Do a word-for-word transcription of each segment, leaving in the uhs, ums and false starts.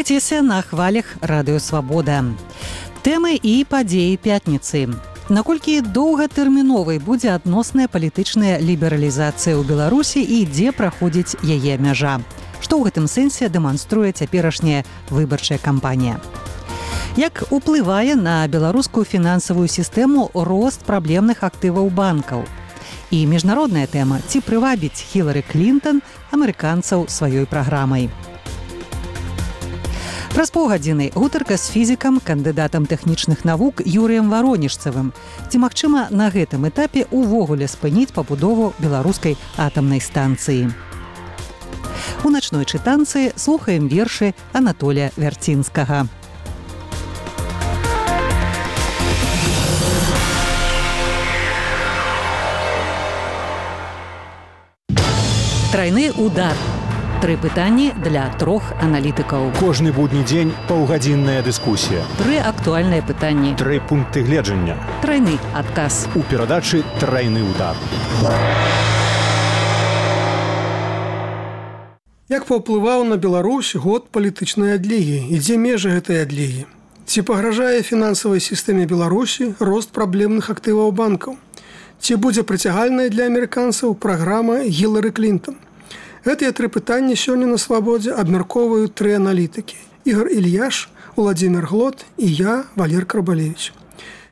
Пачуецеся на хвалях Радыё Свабода. Тэмы і падзеі пятніцы. Наколькі доўгатэрміновай будзе адносная палітычная лібералізацыя ў Беларусі і дзе праходзіць яе мяжа? Што ў гэтым сэнсе дэманструе цяперашняя выбарчая кампанія? Як уплывае на беларускую фінансавую сістэму рост праблемных актываў банкаў? І міжнародная тэма, ці прывабіць Хілары Клінтон амерыканцаў сваёй праграмай? Праз паўгадзіны гутарка з фізікам, кандыдатам тэхнічных навук Юрыем Варонежцавым. Ці магчыма на гэтым этапе увогуле спыніць пабудову беларускай атамнай станцыі? У начной чытанцы слухаем вершы Анатолія Вярцінскага. Трайны удар. Тры пытанні для трох аналітыкаў. Кожны будні дзень паўгадзінная дыскусія. Тры актуальныя пытанні. Тры пункты гледжання. Трайны адказ. У перадачы «Трайны удар». Як паўплываў на Беларусь год палітычнай адлігі? І дзе межы гэтай адлігі? Ці пагражае фінансавай сістэме Беларусі рост праблемных актываў банкаў? Ці будзе прыцягальная для амерыканцаў праграма Хілары Клінтон? Гэтыя тры пытанні сёння на Свабодзе абмяркоўваюць тры аналітыкі. Ігор Ільяш, Уладзімір Глот і я, Валер Карбалевіч.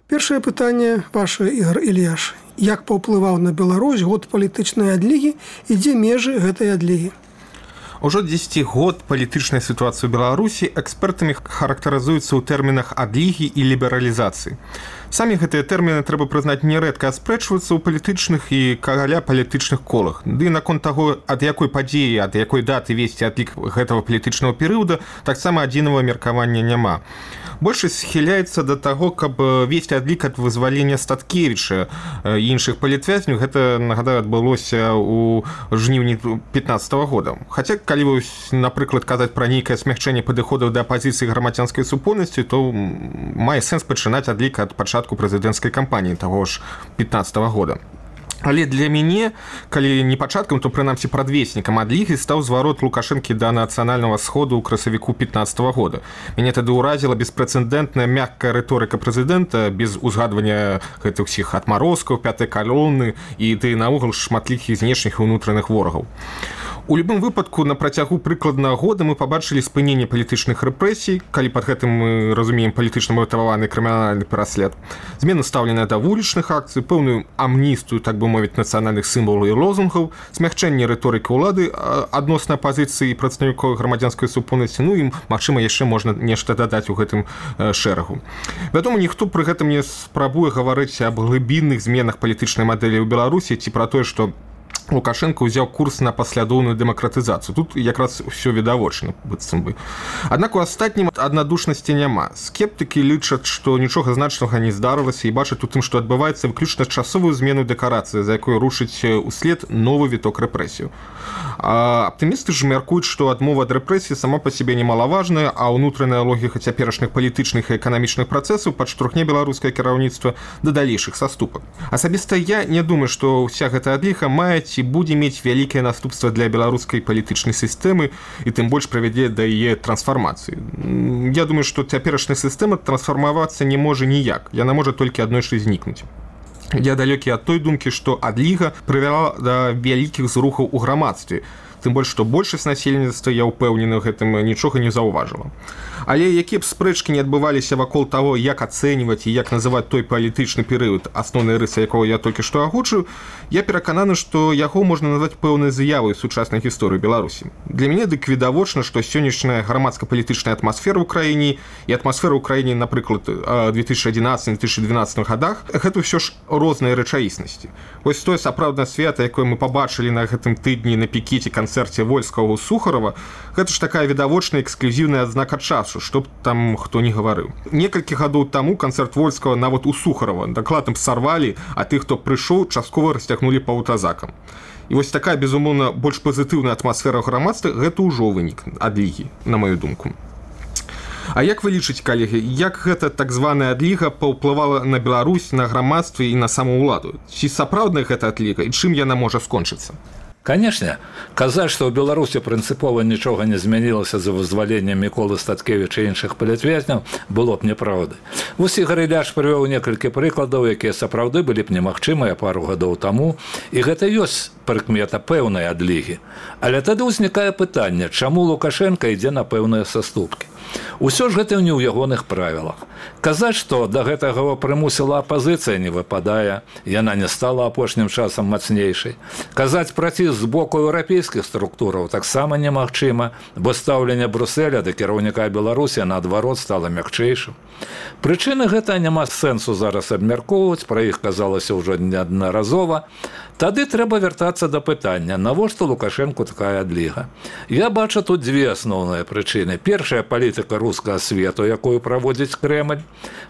Першае пытанне ваше, Ігор Ільяш. Як паўплываў на Беларусь год палітычнай адлігі і дзе межы гэтай адлігі? Ужо дзесяці год палітычная сітуацыя ў Беларусі экспертамі характарызуецца ў тэрмінах адлігі і лібералізацыі. Самі гэтыя тэрміны, трэба прызнаць, нярэдка аспрэчваюцца ў палітычных і каля палітычных колах. Ды наконт таго, ад якой падзеі, ад якой даты весці адлік гэтага палітычнага перыяда, таксама адзінага меркавання няма. Большасць схіляецца да таго, каб весці адлік ад вызвалення Статкевіча і іншых палітвязняў. Гэта, нагадаю, адбылося ў жніўні пятнаццатага года. Хаця, калі, напрыклад, казаць пра нейкае смягчэнне падыходаў да апазіцыі грамадзянскай супольнасці, то мае сэнс пачынаць адлік ад пачатку прэзідэнцкай кампаніі таго ж пятнаццатага года. Але для мяне, калі не пачаткам, то прынамсі прадвеснікам адлігі стаў зварот Лукашэнкі да нацыянальнага сходу ў красавіку пятнаццатага года. Мяне тады ўразіла беспрэцэдэнтная мяккая рыторыка прэзідэнта без узгадвання гэтых усіх адмарозкаў, пятай калоны і ды наогул шматлікіх знешніх і ўнутраных ворагаў. У любым выпадку на працягу прыкладна года мы пабачылі спыненне палітычных рэпрэсій, калі пад гэтым мы разумеем палітычна матываваны крымінальны пераслед, змену стаўлення да вулічных акцый, пэўную амністыю, так бы мовіць, нацыянальных сімвалаў і лозунгаў, смягчэнне рыторыкі ўлады адносна пазіцыі прадстаўнікоў грамадзянскай супольнасці, ну і, магчыма, яшчэ можна нешта дадаць у гэтым шэрагу. Вядома, ніхто пры гэтым не спрабуе гаварыць аб глыбінных зменах палітычнай мадэлі ў Беларусі ці пра тое, што Лукашенко ўзяў курс на паслядоўную дэмакратызацыю. Тут якраз усё відавочна, быццам бы. Аднак у астатнім аднадушнасці няма. Скептыкі лічаць, што нічога значнага не здарылася і бачаць у тым, што адбываецца выключна часовую змену дэкарацыі, за якой рушыць услед новы віток рэпрэсію. А аптымісты ж мяркуюць, што адмова ад рэпрэсіі сама па сабе немалаважная, а ўнутраная логіка цяперашніх палітычных і эканамічных працэсаў падштурхне беларускае кіраўніцтва да далейшых саступак. Асабіста я не думаю, што ўся гэта адліга мае ці будзе мець вялікае наступства для беларускай палітычнай сістэмы і тым больш правядзе да яе трансфармацыі. Я думаю, што цяперашняя сістэма трансфармавацца не можа ніяк. Яна можа толькі аднойчы знікнуць. Я далёкі ад той думкі, што адліга прывяла да вялікіх зрухаў у грамадстве. Тым больш, што большасць насельніцтва, я ўпэўнены, гэтым нічога не заўважыла. Але якія б спрэчкі не адбываліся вакол таго, як ацэньваць і як называць той палітычны перыяд, асноўныя рысы якога я толькі што агучыў, я перакананы, што яго можна назваць пэўнай з'явай сучаснай гісторыі Беларусі. Для мяне дык відавочна, што сённяшняя грамадска-палітычная атмасфера ў краіне і атмасфера ў краіне, напрыклад, две тысячи адзінаццатым - две тысячи двенадцатым годах, гэта ўсё ж розныя рэчаіснасці. Вось тое сапраўднае свята, якое мы пабачылі на гэтым тыдні на пікеце канцэрце Вольскага ў Сухарова, гэта ж такая відавочная эксклюзіўная адзнака часу, што б там хто не гаварыў. Некалькі гадоў таму канцэрт Вольскага нават у Сухарова дакладна б сарвалі, а тых, хто прыйшоў, часткова расцягнулі па аўтазакам. І вось такая, безумоўна, больш пазітыўная атмасфера грамадства, гэта ўжо вынік адлігі, на маю думку. А як вы лічыце, калегі, як гэта так званая адліга паўплывала на Беларусь, на грамадстве і на саму ўладу? Ці сапраўдная гэта адліга і чым яна можа скончыцца? Канешне, казаць, што ў Беларусі прынцыпова нічога не змянілася за вызваленнем Міколы Статкевіча і іншых палітвязняў, было б няправдай. Вось Ігор Ілляш прывёў некалькі прыкладаў, якія сапраўды былі б немагчымыя пару гадоў таму, і гэта ёсць прыкмета пэўнай адлігі. Але тады ўзнікае пытанне, чаму Лукашенко ідзе на пэўныя саступкі. Усё ж гэта не ў ягоных правілах. Казаць, што да гэтага прымусіла апазіцыя, не выпадае, яна не стала апошнім часам мацнейшай. Казаць пра ціск з боку еўрапейскіх структураў таксама немагчыма, бо стаўленне Брюсселя да кіраўніка Беларусі наадварот стала мякчэйшым. Прычыны гэта няма сэнсу зараз абмяркоўваць, пра іх казалася ўжо неаднаразова. Тады трэба вяртацца да пытання, навошта Лукашэнку такая адліга. Я бачу тут дзве асноўныя прычыны. Першая палітыка рускага свету, якую праводзіць Крэмль.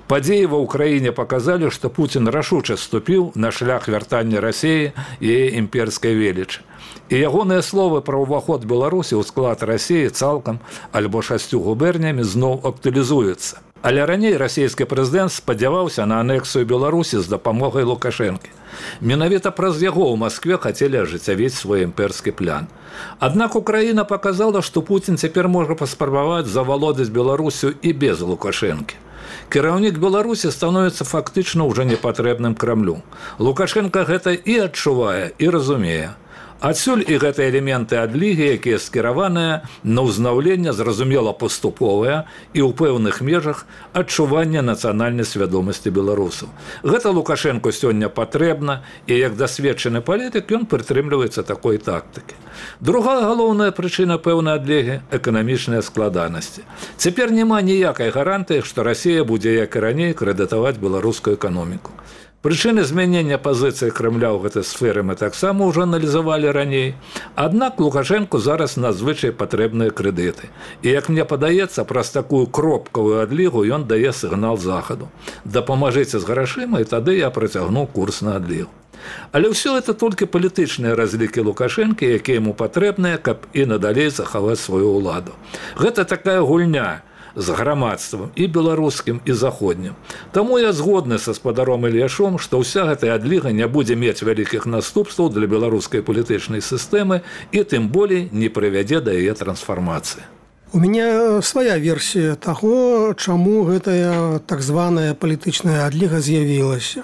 Падзеі ва ўкраіне паказалі, што Пуцін рашуча ступіў на шлях вяртання Расіі і яе імперскай велічы. І ягоныя словы пра ўваход Беларусі ў склад Расіі цалкам альбо шасцю губернямі зноў актуалізуецца. Але раней расійскі прэзідэнт спадзяваўся на анексію Беларусі з дапамогай Лукашэнкі. Менавіта праз яго ў Маскве хацелі ажыццявіць свой імперскі план. Аднак Украіна паказала, што Пуцін цяпер можа паспрабаваць завалодаць Беларусю і без Лукашэнкі. Кіраўнік Беларусі становіцца фактычна ўжо непатрэбным Крамлю. Лукашенко гэта і адчувае, і разумее. Адсюль і гэтыя элементы адлігі, якія скіраваныя на ўзнаўленне зразумела паступовыя і ў пэўных межах адчування нацыянальнай свядомасці беларусаў. Гэта Лукашенко сёння патрэбна, і як дасведчаны палітык ён прытрымліваецца такой тактыкі. Другая галоўная прычына пэўнай адлігі – эканамічныя складанасці. Цяпер няма ніякай гарантыі, што Расія будзе, як і раней, крэдытаваць беларускую эканоміку. Прычыны змянення пазіцыі Крамля ў гэтай сферы мы таксама ўжо аналізавалі раней. Аднак Лукашэнку зараз надзвычай патрэбныя крэдыты. І, як мне падаецца, праз такую кропкавую адлігу ён дае сігнал захаду. Дапамажыце з грашыма, і тады я працягну курс на адлігу. Але ўсё это толькі палітычныя разлікі Лукашэнкі, якія яму патрэбныя, каб і надалей захаваць сваю ўладу. Гэта такая гульня з грамадствам і беларускім, і заходнім. Таму я згодны са спадаром Ільяшом, што ўся гэтая адліга не будзе мець вялікіх наступстваў для беларускай палітычнай сістэмы і тым болей не прывядзе да яе трансфармацыі. У меня свая версія таго, чаму гэтая так званая палітычная адліга з'явілася.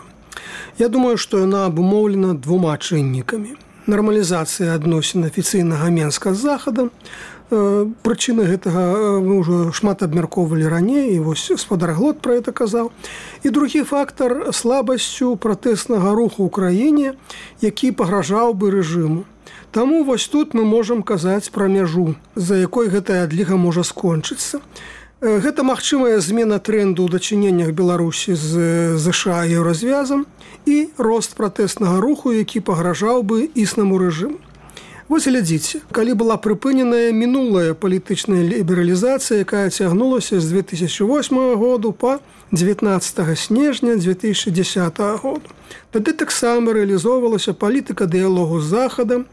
Я думаю, што яна абумоўлена двума чыннікамі. Нармалізацыя адносін афіцыйнага Менска з захадам. Прычыны гэтага мы ўжо шмат абмяркоўвалі раней, і вось спадар Глот пра гэта казаў. І другі фактар слабасцю пратэснага руху ў краіне, які пагражаў бы рэжыму. Таму вось тут мы можам казаць пра мяжу, за якой гэтая адліга можа скончыцца. Гэта магчымая змена трэнду ў дачыненнях Беларусі з ЗША і еўразвязам і рост пратэснага руху, які пагражаў бы існаму рэжыму. Вось глядзіце, калі была прыпыненая мінулая палітычная лібералізацыя, якая цягнулася з две тысячи восьмага году па дзевятнаццатага снежня две тысячи дзесятага году. Тады таксама рэалізоўвалася палітыка дыялогу з захадам,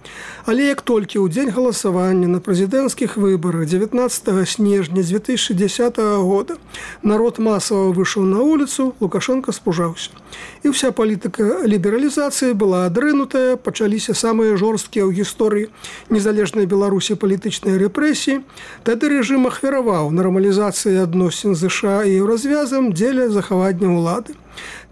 але як толькі ў дзень галасавання на прэзідэнцкіх выбарах дзевятнаццатага снежня две тысячи дзесятага года народ масава выйшаў на вуліцу, Лукашенко спужаўся. І вся палітыка лібералізацыі была адрынутая, пачаліся самыя жорсткія ў гісторыі незалежнай Беларусі палітычныя рэпрэсіі. Тады рэжым ахвяраваў нармалізацыі адносін з ЗША і еўразвязам дзеля захавання ўлады.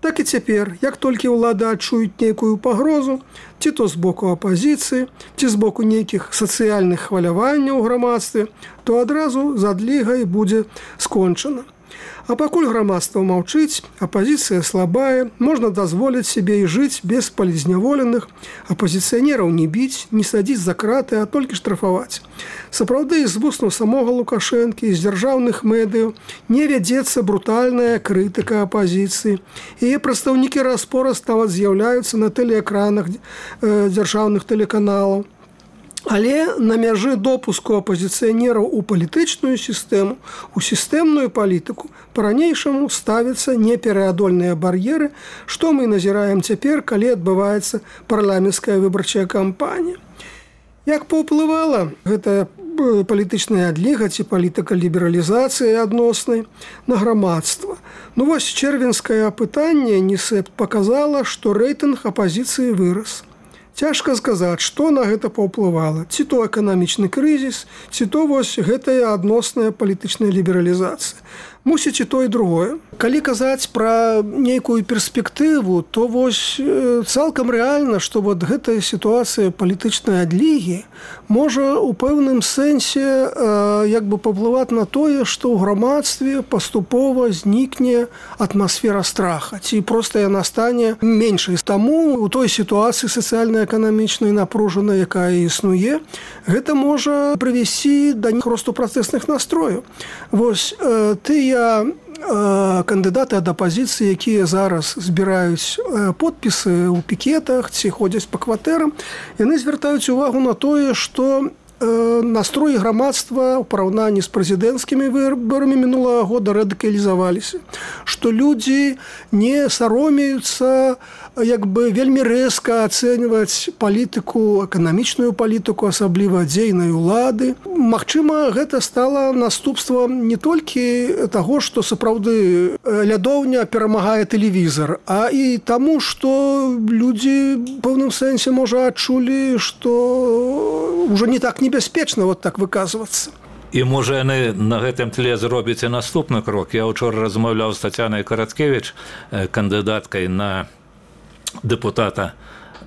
Так і цяпер, як толькі ўлада адчуюць нейкую пагрозу, ці то з боку апазіцыі, ці з боку нейкіх сацыяльных хваляванняў у грамадстве, то адразу з адлігай будзе скончана. А пакуль грамадства маўчыць, апазіцыя слабая, можна дазволіць сябе і жыць без палізняволеных, апазіцыянераў не біць, не садзіць за краты, а толькі штрафаваць. Сапраўды, з вуснаў самога Лукашэнкі, з дзяржаўных медыяў не вядзецца брутальная крытыка апазіцыі. Яе прадстаўнікі раз-пораз нават з'яўляюцца на тэлеэкранах э, дзяржаўных тэлеканалаў. Але на мяжы допуску апазіцыянераў у палітычную сістэму, у сістэмную палітыку, па-ранейшаму ставяцца непераадольныя бар'еры, што мы назіраем цяпер, калі адбываецца парламенцкая выбарчая кампанія. Як паўплывала гэтая палітычная адліга ці палітыка лібералізацыі адноснай на грамадства? Ну вось чэрвеньскае апытанне НІСЭП паказала, што рэйтынг апазіцыі вырас. Цяжка сказаць, што на гэта паўплывала. Ці то эканамічны крызіс, ці то вось гэтая адносная палітычная лібералізацыя. Мусіць і то і другое. Калі казаць пра нейкую перспектыву, то вось цалкам рэальна, што вот гэтая сітуацыя палітычнай адлігі можа ў пэўным сэнсе як бы паўплываць на тое, што ў грамадстве паступова знікне атмасфера страха, ці проста яна стане меншай. Таму у той сітуацыі сацыяльна-эканамічнай напружанай, якая існуе, гэта можа прывесці да росту працэсных настрояў. Вось тыя кандыдаты ад апазіцыі, якія зараз збіраюць подпісы ў пікетах ці ходзяць па кватэрам, яны звяртаюць увагу на тое, што настроі грамадства ў параўнанні з прэзідэнцкімі выбарамі мінулага года радыкалізаваліся, што людзі не саромеюцца як бы вельмі рэзка ацэньваць палітыку, эканамічную палітыку, асабліва дзейнай улады. Магчыма, гэта стала наступствам не толькі таго, што сапраўды лядоўня перамагае тэлевізар, а і таму, што людзі ў пэўным сэнсе, можа, адчулі, што ўжо не так небяспечна вот так выказвацца. І, можа, яны на гэтым тле зробяць і наступны крок. Я ўчора размаўляў з Тацянай Караткевіч, кандыдаткай на дэпутата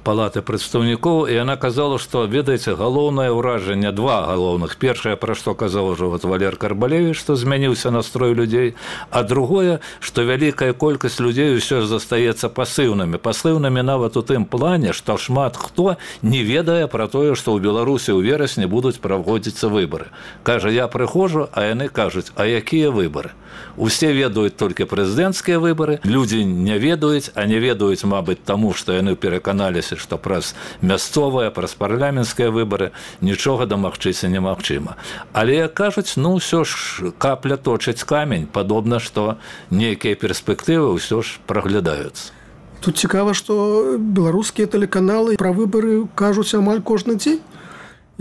палаты прадстаўнікоў, і яна казала, што, ведаеце, галоўнае ўражанне, два галоўных. Першае, пра што казаў ужо вот Валер Карбалевіч, што змяніўся настрой людзей, а другое, што вялікая колькасць людзей усё ж застаецца пасыўнымі. Пасыўнымі нават у тым плане, што шмат хто не ведае пра тое, што ў Беларусі ў верасні будуць праводзіцца выбары. Кажа, я прыходжу, а яны кажуць, а якія выбары? Усе ведаюць толькі прэзідэнцкія выбары, людзі не ведаюць, а не ведаюць, мабыць, таму, што яны пераканаліся, што праз мясцовыя, праз парламенцкія выбары нічога дамагчыся немагчыма. Але, як кажуць, ну, ўсё ж капля точыць камень, падобна, што нейкія перспектывы ўсё ж праглядаюцца. Тут цікава, што беларускія тэлеканалы пра выбары кажуць амаль кожны дзень.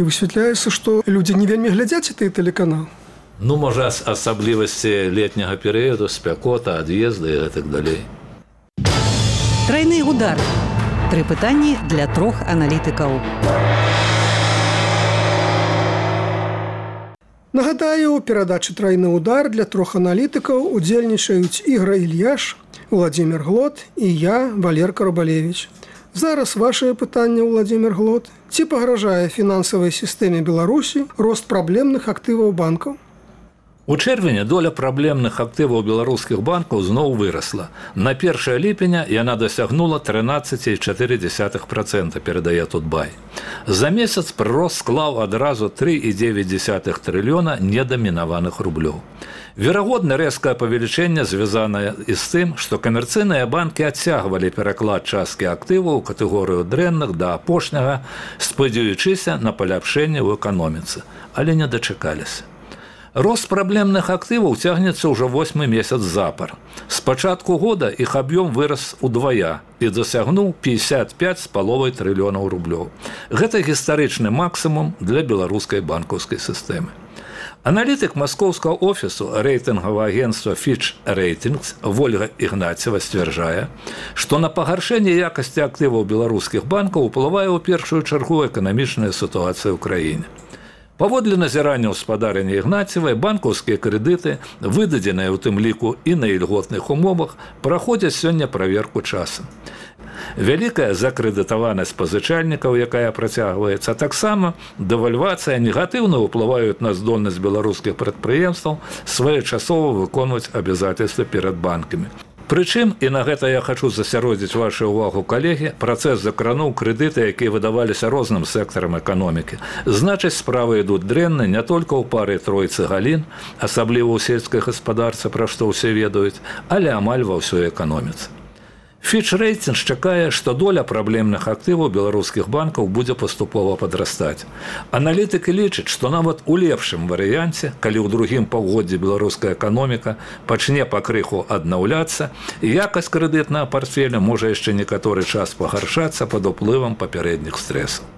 І высвятляецца, што людзі не вельмі глядзяць гэтыя тэлеканалы. Ну, можа, асаблівасці летняга перыяду, спякота, ад'езды і гэтак далей. Трайны удар. Тры пытанні для трох аналітыкаў. Нагадаю, у перадачы «Трайны удар» для трох аналітыкаў удзельнічаюць Ігор Ільяш, Владимир Глот і я, Валер Карбалевіч. Зараз ваше пытанне, Владимир Глот. Ці пагражае фінансавай сістэме Беларусі рост праблемных актываў банкаў? У чэрвені доля праблемных актываў беларускіх банкаў зноў вырасла. На першае ліпеня яна дасягнула трынаццаць цалых чатыры дзесятых працэнта, перадае Тутбай. За месяц прырост склаў адразу тры цалых дзевяць дзесятых трыльёна недамінаваных рублёў. Верагодна, рэзкае павелічэнне звязанае і з тым, што камерцыйныя банкі адцягвалі пераклад часткі актываў у катэгорыю дрэнных да апошняга, спадзяючыся на паляпшэнне ў эканоміцы, але не дачакаліся. Рост праблемных актываў цягнецца ўжо восьмы месяц запар. З пачатку года іх аб'ём вырас удвая і дасягнуў пятьдесят пять з паловай трыльёнаў рублёў. Гэта гістарычны максімум для беларускай банкаўскай сістэмы. Аналітык маскоўскага офісу рэйтынгавага агенцтва Fitch Ratings Вольга Ігнацева сцвярджае, што на пагаршэнне якасці актываў беларускіх банкаў уплывае ў першую чаргу эканамічная сітуацыя ў краіне. Паводле назірання гаспадарання Ігнацевай, банкаўскія крэдыты, выдадзеныя ў тым ліку і на ільготных умовах, праходзяць сёння праверку часам. Вялікая закрэдытаванасць пазычальнікаў, якая працягваецца, таксама дэвальвацыя негатыўна ўплываюць на здольнасць беларускіх прадпрыемстваў своечасова выконваць абавязательствы перад банкамі. Прычым, і на гэта я хачу засяродзіць вашу ўвагу, калегі, працэс закрануў крэдыты, якія выдаваліся розным сектарам эканомікі. Значыць, справы ідуць дрэнна не толькі ў пары тройцы галін, асабліва ў сельскай гаспадарцы, пра што ўсе ведаюць, але амаль ва ўсёй эканоміцы. Fitch Ratings чакае, што доля праблемных актываў беларускіх банкаў будзе паступова падрастаць. Аналітыкі лічаць, што нават у лепшым варыянце, калі ў другім паўгоддзі беларуская эканоміка пачне пакрыху аднаўляцца, якасць крэдытнага партфеля можа яшчэ некаторы час пагаршацца пад уплывам папярэдніх стрэсаў.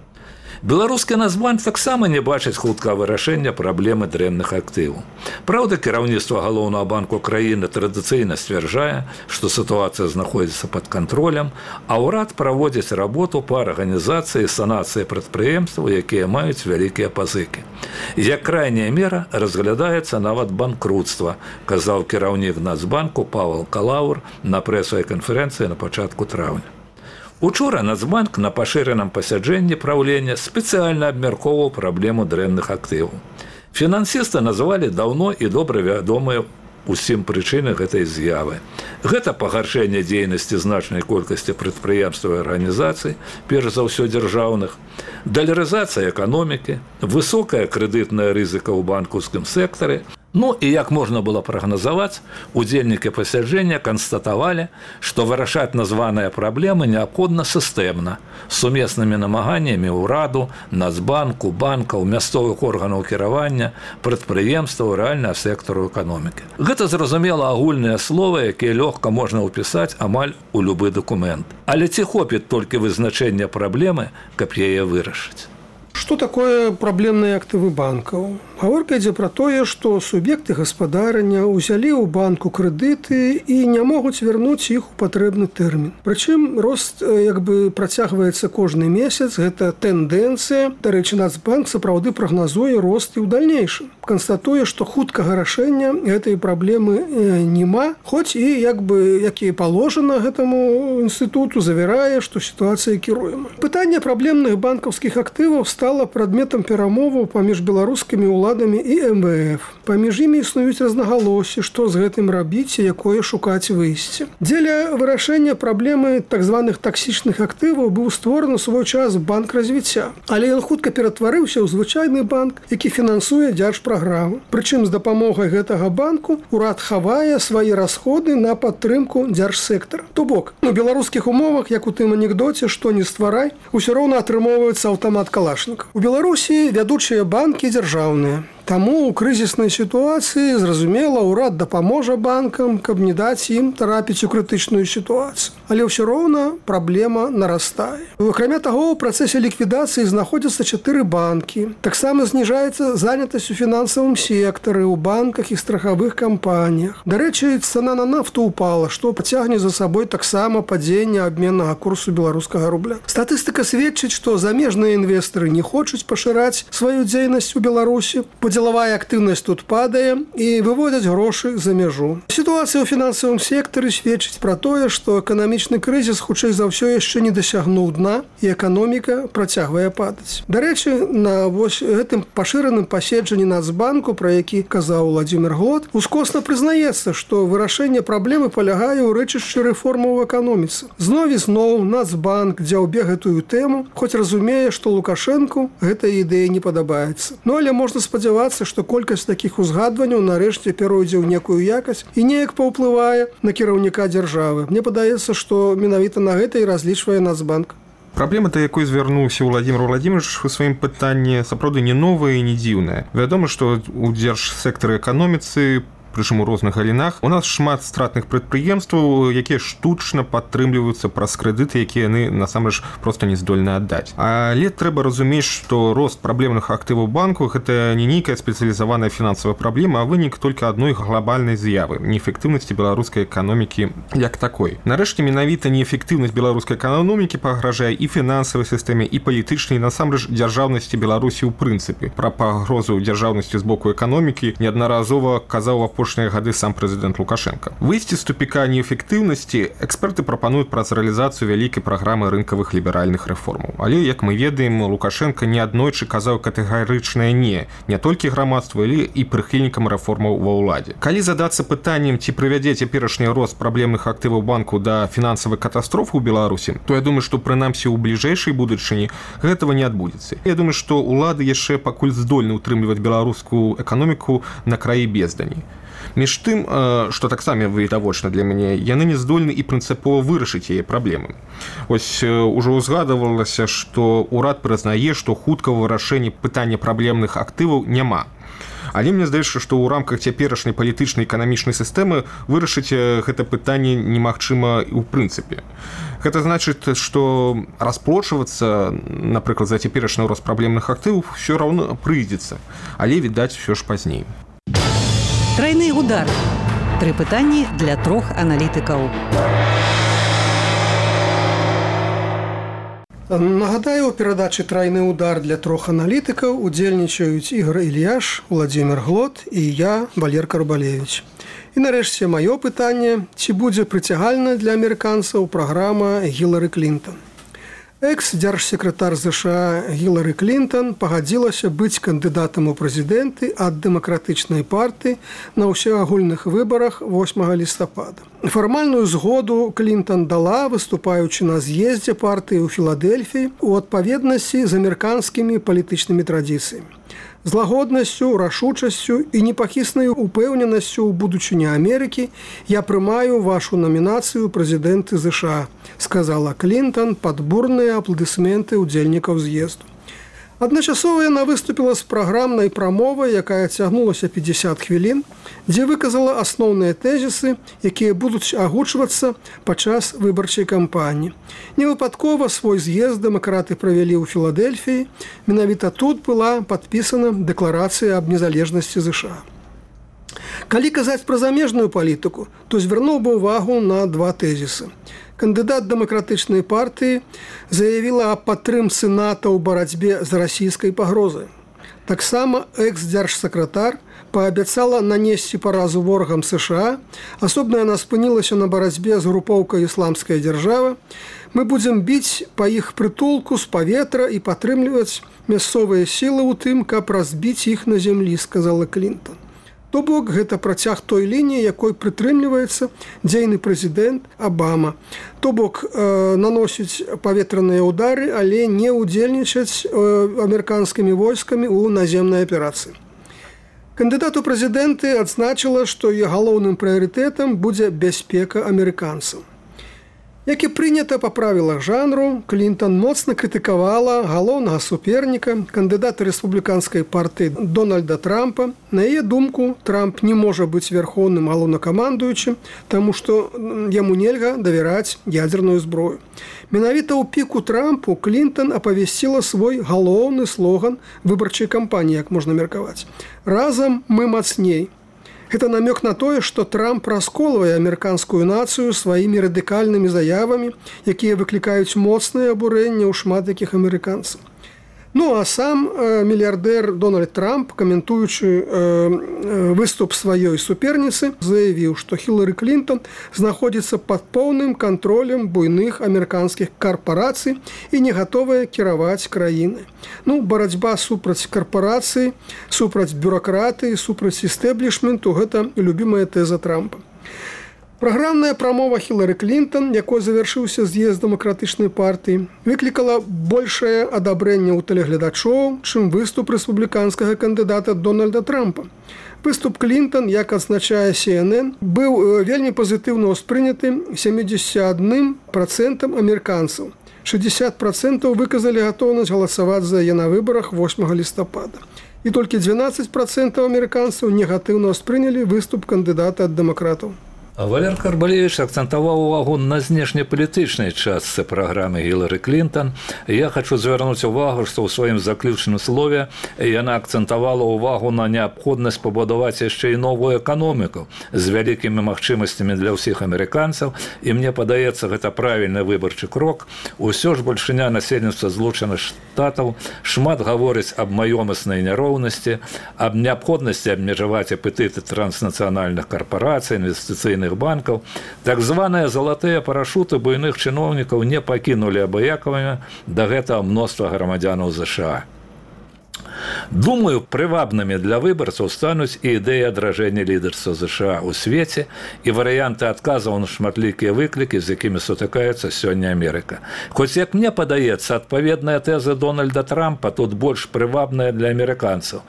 Беларускі Нацбанк таксама не бачыць хуткага вырашэння праблемы дрэнных актываў. Праўда, кіраўніцтва галоўнага банку краіны традыцыйна сцвярджае, што сітуацыя знаходзіцца пад кантролем, а ўрад праводзіць работу па арганізацыі санацыі прадпрыемстваў, якія маюць вялікія пазыкі. Як крайняя мера разглядаецца нават банкрутства, казаў кіраўнік Нацбанку Павел Калаур на прэсавай канферэнцыі на пачатку траўня. Учора Нацбанк на пашыраным пасяджэнні праўлення спецыяльна абмяркоўваў праблему дрэнных актываў. Фінансісты назвалі даўно і добра вядомыя усім прычыны гэтай з'явы. Гэта пагаршэнне дзейнасці значнай колькасці прадпрыемстваў і арганізацый, перш за ўсё дзяржаўных, далярызацыя эканомікі, высокая крэдытная рызыка ў банкаўскім сектары. Ну і як можна было прагназаваць, удзельнікі пасяджэння канстатавалі, што вырашаць названыя праблемы неабходна сістэмна, з сумеснымі намаганнямі ўраду, Нацбанку, банкаў, мясцовых органаў кіравання, прадпрыемстваў рэальнага сектару эканомікі. Гэта, зразумела, агульныя словы, якія лёгка можна ўпісаць амаль у любы дакумент. Але ці хопіць толькі вызначэння праблемы, каб яе вырашыць? Что такое праблемныя актывы банкаў? Гаворка ідзе пра тое, што суб'екты гаспадарання ўзялі ў банку крэдыты і не могуць вярнуць іх у патрэбны тэрмін. Прычым рост як бы працягваецца кожны месяц, гэта тэндэнцыя. Дарэчы, Нацбанк сапраўды прагназуе рост і ў дальнейшым. Канстатуе, што хуткага рашэння гэтай праблемы няма, хоць і як бы як і паложана гэтаму інстытуту завярае, што сітуацыя кіруемая. Пытанне праблемных банкаўскіх актываў стала прадметам перамоваў паміж беларускімі ўладамі і эм вэ эф. Паміж імі існуюць рознагалоссі, што з гэтым рабіць і якое шукаць выйсце. Дзеля вырашэння праблемы так званых таксічных актываў быў створаны ў свой час банк развіцця. Але ён хутка ператварыўся ў звычайны банк, які фінансуе дзяржпраграмы. Прычым з дапамогай гэтага банку ўрад хавае свае расходы на падтрымку дзяржсектара. То бок, у беларускіх умовах, як у тым анекдоце, што не стварай, усё роўна атрымоўваецца аўтамат калашнікаў. У Беларусі вядучыя банкі дзяржаўныя. Таму ў крызіснай сітуацыі, зразумела, ўрад дапаможа банкам, каб не даць ім трапіць у крытычную сітуацыю. Але ўсё роўна праблема нарастае. Акрамя таго, у працэсе ліквідацыі знаходзяцца чатыры банкі. Таксама зніжаецца занятасць у фінансавым сектары, у банках і страхавых кампаніях. Дарэчы, цана на нафту ўпала, што пацягне за сабой таксама падзенне абменнага курсу беларускага рубля. Статыстыка сведчыць, што замежныя інвестары не хочуць пашыраць сваю дзейнасць у Беларусі, дзелавая актыўнасць тут падае і выводзяць грошы за мяжу. Сітуацыя ў фінансавым сектары сведчыць пра тое, што эканамічны крызіс хутчэй за ўсё яшчэ не дасягнуў дна і эканоміка працягвае падаць. Дарэчы, на вось гэтым пашыраным паседжанні Нацбанку, пра які казаў Владзімір Глот, ускосна прызнаецца, што вырашэнне праблемы палягае ў рэчышчы рэформаў у эканоміцы. Зноў і зноў Нацбанк дзяўбе гэтую тэму, хоць разумее, што Лукашэнку гэта ідэя не падабаецца. Ну але можна спадзявацца, што колькасць такіх узгадванняў нарэшце пяройдзе ў некую якасць і неяк паўплывае на кіраўніка дзяржавы. Мне падаецца, што менавіта на гэта і разлічвае Нацбанк. Праблема, да якой звярнуўся Владзімір Владзімірович у сваім пытанні, сапраўды не новая і не дзіўная. Вядома, што ў дзяржсектары эканоміцы, прычым у розных галінах, у нас шмат стратных прадпрыемстваў, якія штучна падтрымліваюцца праз крэдыты, якія яны насамрэч проста не здольны аддаць. Але трэба разумець, што рост праблемных актываў банку гэта не нейкая спецыялізаваная фінансавая праблема, а вынік толькі адной глобальнай з'явы неэфектыўнасці беларускай эканомікі як такой. Нарэшце, менавіта неэфектыўнасць беларускай эканомікі пагражае і фінансавай сістэме, і палітычнай, насамрэч дзяржаўнасці Беларусі ў прынцыпе. Пра пагрозу дзяржаўнасці з боку эканомікі неаднаразова казаў апошнія гады сам прэзідэнт Лукашенко. Выйсці з тупіка неэфектыўнасці эксперты прапануюць праз рэалізацыю вялікай праграмы рынкавых ліберальных рэформаў. Але, як мы ведаем, Лукашенко неаднойчы казаў катэгарычнае не, не толькі грамадству, але і прыхільнікам рэформаў ва ўладзе. Калі задацца пытаннем, ці прывядзе цяперашні рост праблемных актываў банку да фінансавай катастрофы ў Беларусі, то я думаю, што прынамсі ў бліжэйшай будучыні гэтага не адбудзецца. Я думаю, што ўлады яшчэ пакуль здольны ўтрымліваць беларускую эканоміку на краі бездані. Між тым, што таксама відавочна для мяне, яны не здольны і прынцыпова вырашыць яе праблемы. Ось ужо ўзгадывалася, што ўрад прызнае, што хуткага вырашэння пытання праблемных актываў няма. Але мне здаецца, што ў рамках цяперашняй палітычнай эканамічнай сістэмы вырашыць гэта пытанне немагчыма і ў прынцыпе. Гэта значыць, што расплочвацца, напрыклад, за цяперашні рост праблемных актываў ўсё роўна прыйдзецца, але, відаць, усё ж пазней. Трайны удар. Тры пытанні для трох аналітыкаў. Нагадаю, у перадачы «Трайны удар» для трох аналітыкаў удзельнічаюць Ігор Ільяш, Владзімір Глот і я, Валер Карбалевіч. І нарэшце маё пытанне, ці будзе прыцягальна для амерыканцаў праграма Гілары Клінтон. Экс-дзяржсекратар ЗША Гілары Клінтон пагадзілася быць кандыдатам у прэзідэнты ад дэмакратычнай партыі на ўсеагульных выбарах восьмага лістапада. Фармальную згоду Клінтон дала, выступаючы на з'ездзе партыі ў Філадельфіі у адпаведнасці з амерыканскімі палітычнымі традыцыямі. З лагоднасцю, рашучасцю і непахіснай упэўненасцю ў будучыні Амерыкі я прымаю вашу намінацыю прэзідэнты ЗША, сказала Клінтон пад бурныя апладысменты ўдзельнікаў з'езду. Адначасова яна выступіла з праграмнай прамовай, якая цягнулася пятьдесят хвілін, дзе выказала асноўныя тэзісы, якія будуць агучвацца падчас выбарчай кампаніі. Невыпадкова свой з'езд дэмакраты правялі ў Філадельфіі, менавіта тут была падпісана дэкларацыя аб незалежнасці ЗША. Калі казаць пра замежную палітыку, то звярнуў бы ўвагу на два тэзісы. Кандыдат дэмакратычнай партыі заявіла аб падтрымцы НАТО ў барацьбе з расійскай пагрозай. Таксама экс-дзяржсакратар паабяцала нанесці паразу ворагам США, асобна яна спынілася на барацьбе з групоўкай «Ісламская дзяржава». Мы будзем біць па іх прытулку з паветра і падтрымліваць мясцовыя сілы ў тым, каб разбіць іх на зямлі, сказала Клінтон. То бок, гэта працяг той лініі, якой прытрымліваецца дзейны прэзідэнт Абама. То бок, э, наносіць паветраныя ўдары, але не ўдзельнічаць э, амерыканскімі войскамі ў наземнай аперацыі. Кандыдат у прэзідэнты адзначыла, што яе галоўным прыярытэтам будзе бяспека амерыканцаў. Як і прынята па правілах жанру, Клінтон моцна крытыкавала галоўнага суперніка, кандыдата рэспубліканскай партыі Дональда Трампа. На яе думку, Трамп не можа быць верхоўным галоўнакамандуючым, таму што яму нельга давяраць ядзерную зброю. Менавіта ў піку Трампу Клінтон апавясціла свой галоўны слоган выбарчай кампаніі, як можна меркаваць. «Разам мы мацней». Гэта намёк на тое, што Трамп расколвае амерыканскую нацыю сваімі радыкальнымі заявамі, якія выклікаюць моцнае абурэнне ў шмат якіх амерыканцаў. Ну, а сам э, мільярдэр Дональд Трамп, каментуючы э, выступ сваёй суперніцы, заявіў, што Хілары Клінтон знаходзіцца пад поўным кантролем буйных амерыканскіх карпарацый і не гатовая кіраваць краінай. Ну, барацьба супраць карпарацыі, супраць бюракратыі, супраць істэблішменту – гэта любімая тэза Трампа. Праграмная прамова Хілары Клінтон, якой завяршыўся з'езд дэмакратычнай партыі, выклікала большае адабрэнне ў тэлегледачоў, чым выступ рэспубліканскага кандыдата Дональда Трампа. Выступ Клінтон, як адзначае Си Эн Эн, быў вельмі пазітыўна ўспрыняты сямдзесят адным працэнтам амерыканцаў. шэсцьдзесят працэнтаў выказалі гатоўнасць галасаваць за яе на выбарах восьмага лістапада. І толькі дванаццаць працэнтаў амерыканцаў негатыўна ўспрынялі выступ кандыдата ад дэмакратаў. Валер Карбалевич акцентаваў увагу на знешнепалітычнай частцы праграмы Гілары Клінтон. Я хочу звярнуць увагу, што ў сваім заключным слове яна акцентавала увагу на неабходнасць пабудаваць яшчэ і новую эканоміку з вялікімі магчымасцямі для ўсіх амерыканцаў. І мне падаецца, гэта правільны выбарчы крок. Усё ж бальшыня насельніцтва Злучаных Штатаў шмат гаворыць аб маёмаснай няроўнасці, аб неабходнасці абмежаваць апетыты транснацыянальных карпарацый, інвестыцыйных банкаў. Так званыя залатыя парашуты буйных чыноўнікаў не пакінулі абыякавымі да гэтага мноства грамадзянаў ЗША. Думаю, прывабнымі для выбарцаў стануць і ідэі адражэння лідарства ЗША ў свеце і варыянты адказаў на шматлікія выклікі, з якімі сутыкаецца сёння Амерыка. Хоць, як мне падаецца, адпаведная тэза Дональда Трампа тут больш прывабная для амерыканцаў.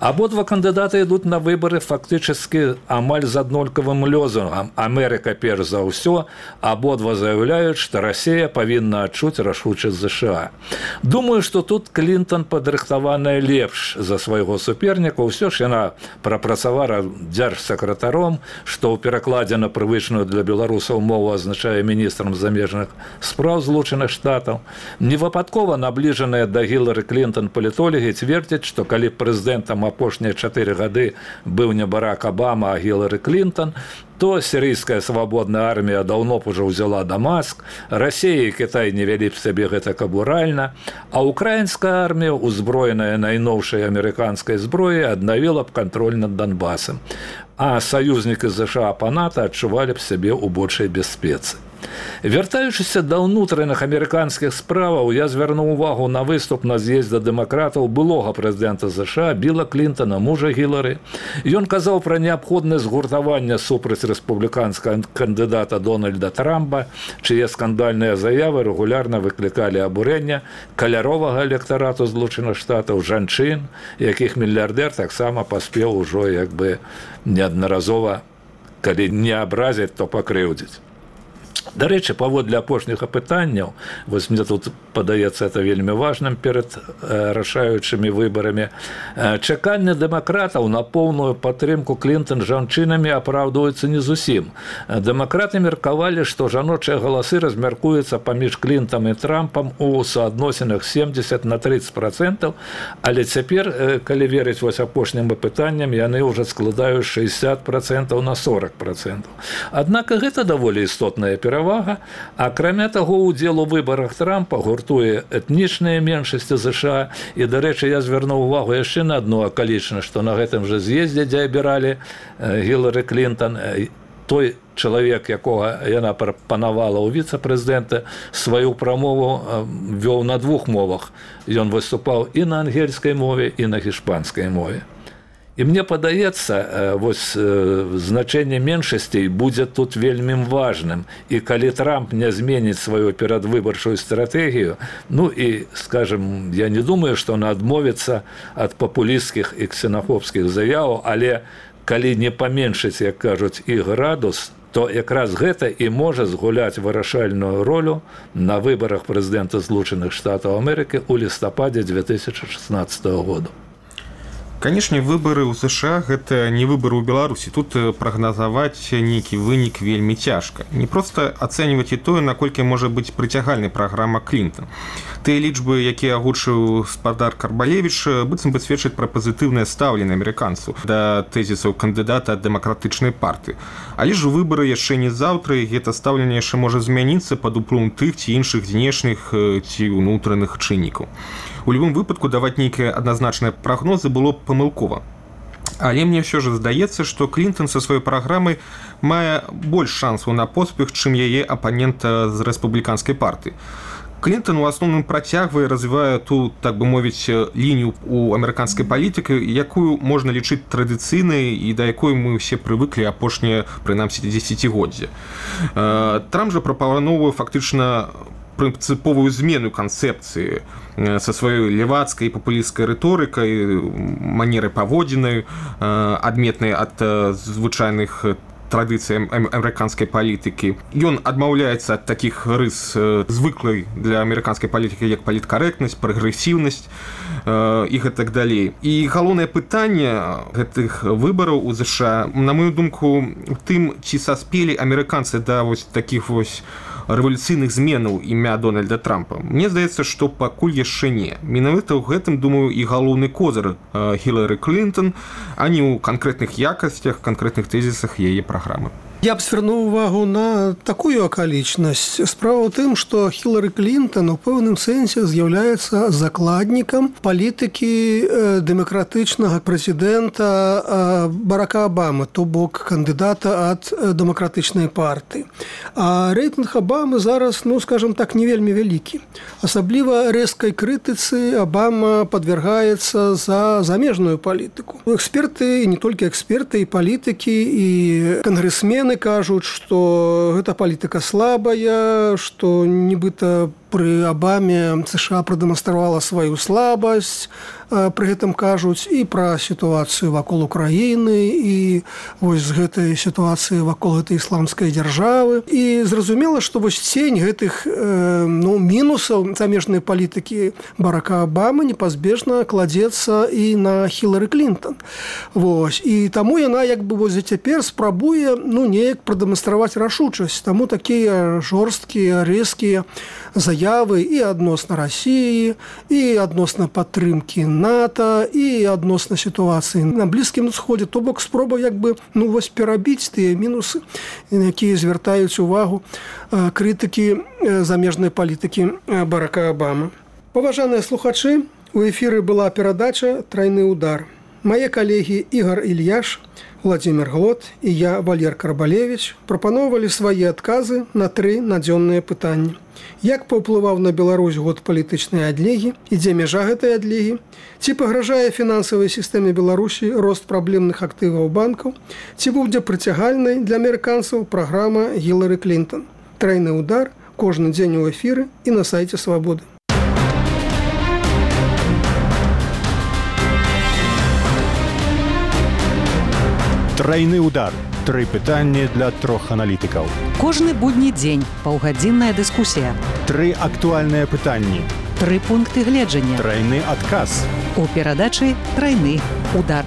Абодва кандыдаты ідуць на выбары фактычна амаль з аднолькавым лозунгам «Амерыка перш за ўсё», абодва заяўляюць, што Расія павінна адчуць рашучасць ЗША. Думаю, што тут Клінтон падрыхтаваная лепш, больш за свайго суперніка. Ўсё ж яна прапрацавала дзяржсакратаром, што ў перакладзе на прывычную для беларусаў мову азначае міністрам замежных спраў Злучаных Штатаў. Невыпадкова набліжаныя да Гілары Клінтон палітолагі цвердзяць, што калі прэзідэнтам апошнія чатыры гады быў не Барак Абама, а Гілары Клінтон, то сірыйская свабодная армія даўно б ужо ўзяла Дамаск, Расія і Кітай не вялі б сабе гэта кабуральна, а украінская армія, узброеная найноўшай амерыканскай зброяй, аднавіла б кантроль над Донбасам, а саюзнікі ЗША па НАТО адчувалі б сябе ў большай бяспецы. Вяртаючыся да ўнутраных амерыканскіх справаў, я звярнуў увагу на выступ на з'ездзе дэмакратаў былога прэзідэнта ЗША Біла Клінтона, мужа Гілары. Ён казаў пра неабходнасць згуртавання супраць рэспубліканскага кандыдата Дональда Трампа, чые скандальныя заявы рэгулярна выклікалі абурэння каляровага электарату Злучаных Штатаў, жанчын, якіх мільярдэр таксама паспеў ужо як бы неаднаразова, калі не абразіць, то пакрыўдзіць. Дарэчы, паводле апошніх апытанняў, вось мне тут падаецца это вельмі важным перад э, рашаючымі выбарамі, э, чаканне дэмакратаў на поўную падтрымку Клінтон жанчынамі апраўдваюцца не зусім. Дэмакраты меркавалі, што жаночыя галасы размяркуюцца паміж Клінтам і Трампам у суадносінах семдзесят на тридцать процентаў, але цяпер, э, калі верыць вось апошнім апытанням, яны ўжо складаюць шестьдесят процентов на сорок процентов. Аднак гэта даволі істотная перавага, акрамя таго, удзел у выбарах Трампа гуртуе этнічныя меншасці ЗША. І, дарэчы, я звярнуў увагу яшчэ на адну акалічнасць, што на гэтым жа з'ездзе, дзе абіралі Гілары Клінтон, той чалавек, якога яна прапанавала ў віцэ-прэзідэнта, сваю прамову вёў на двух мовах. Ён выступаў і на ангельскай мове, і на іспанскай мове. І мне падаецца, вось значэнне меншасцей будзе тут вельмі важным. І калі Трамп не зменіць сваю перадвыбарчую стратэгію, ну і, скажем, я не думаю, што он адмовіцца ад папулісцкіх і ксенафобскіх заяў, але калі не паменшыць, як кажуць, іх градус, то якраз гэта і можа згуляць вырашальную ролю на выбарах прэзідэнта Злучаных Штатаў Амерыкі ў лістападзе две тысячи шестнадцатого года. Канешне, выбары ў ЗША гэта не выбары ў Беларусі. Тут прагназаваць нейкі вынік вельмі цяжка. Не проста ацэньваць і тое, наколькі можа быць прыцягальнай праграма Клінтон. Тыя лічбы, якія агучыў спадар Карбалевіч, быццам бы сведчаць пра пазітыўнае стаўленне амерыканцаў да тэзісаў кандыдата ад дэмакратычнай партыі. Але ж выбары яшчэ не заўтра, і гэта стаўленне яшчэ можа змяніцца пад уплывам тых ці іншых знешніх ці ўнутраных чыннікаў. У любым выпадку даваць нейкія адназначныя прагнозы было памылкова. Але мне ўсё ж здаецца, што Клінтон са сваёй праграмай мае больш шансаў на поспех, чым яе апанента з рэспубліканскай партыі. Клінтон у асноўным працягвае, развівае ту, так бы мовіць, лінію ў амерыканскай палітыкі, якую можна лічыць традыцыйнай і да якой мы ўсе прывыклі апошнія, прынамсі, дзесяцігоддзі. Трамп жа прапановвае фактычна прынцыповую змену канцэпцыі са сваёй левацкай і папулісцкай рыторыкай, манерай паводзінай, адметнай ад звычайных традыцый амерыканскай палітыкі. Ён адмаўляецца ад такіх рыс звыклай для амерыканскай палітыкі, як паліткарэктнасць, прагрэсіўнасць і гэтак далей. І галоўнае пытанне гэтых выбараў у ЗША, на мою думку, у тым, ці саспелі амерыканцы да вось такіх вось рэвалюцыйных зменаў імя Дональда Трампа. Мне здаецца, што пакуль яшчэ не. Менавіта ў гэтым, думаю, і галоўны козыр Гілары Клінтон, а не ў канкрэтных якасцях, канкрэтных тэзісах яе праграмы. Я б звярнуў увагу на такую акалічнасць. Справа ў тым, што Гілары Клінтон у пэўным сэнсе з'яўляецца закладнікам палітыкі дэмакратычнага прэзідэнта Барака Абамы, то бок кандыдата ад дэмакратычнай партыі. А рэйтынг Абамы зараз, ну, скажем так, не вельмі вялікі. Асабліва рэзкай крытыцы Абама падвяргаецца за замежную палітыку. Эксперты, і не толькі эксперты, і палітыкі, і кангрэсмены кажуць, што гэта палітыка слабая, што нібыта пры Абаме США прадэманстравала сваю слабасць, пры гэтым кажуць і пра сітуацыю вакол Украіны, і вось з гэтай сітуацыі вакол гэтай ісламскай дзяржавы. І зразумела, што вось цень гэтых ну, мінусаў замежнай палітыкі Барака Абамы непазбежна кладзецца і на Хілары Клінтон. Вось. І таму яна як бы вось цяпер спрабуе ну, неяк прадэманстраваць рашучасць. Таму такія жорсткія, рэзкія заявы і адносна Расіі, і адносна падтрымкі НАТО, і адносна сітуацыі на Блізкім Усходзе. То бок спроба як бы ну, вось перабіць тыя мінусы, якія звяртаюць увагу крытыкі замежнай палітыкі Барака Абамы. Паважаныя слухачы, у эфіры была перадача «Трайны удар». Мае калегі Ігор Ільяш, Владимир Глот і я, Валер Карбалевич, прапаноўвалі свае адказы на тры надзённыя пытанні. Як паўплываў на Беларусь год палітычнай адлегі і дзе мяжа гэтай адлегі? Ці пагражае фінансавай сістэме Беларусі рост праблемных актываў банкаў? Ці будзе прыцягальнай для амерыканцаў праграма Хілары Клінтон? Трайны удар кожны дзень у эфіры і на сайце Свабоды. Трайны удар. Тры пытанні для трох аналітыкаў. Кожны будні дзень паўгадзінная дыскусія. Тры актуальныя пытанні. Тры пункты гледжання. Трайны адказ. У перадачы «Трайны удар».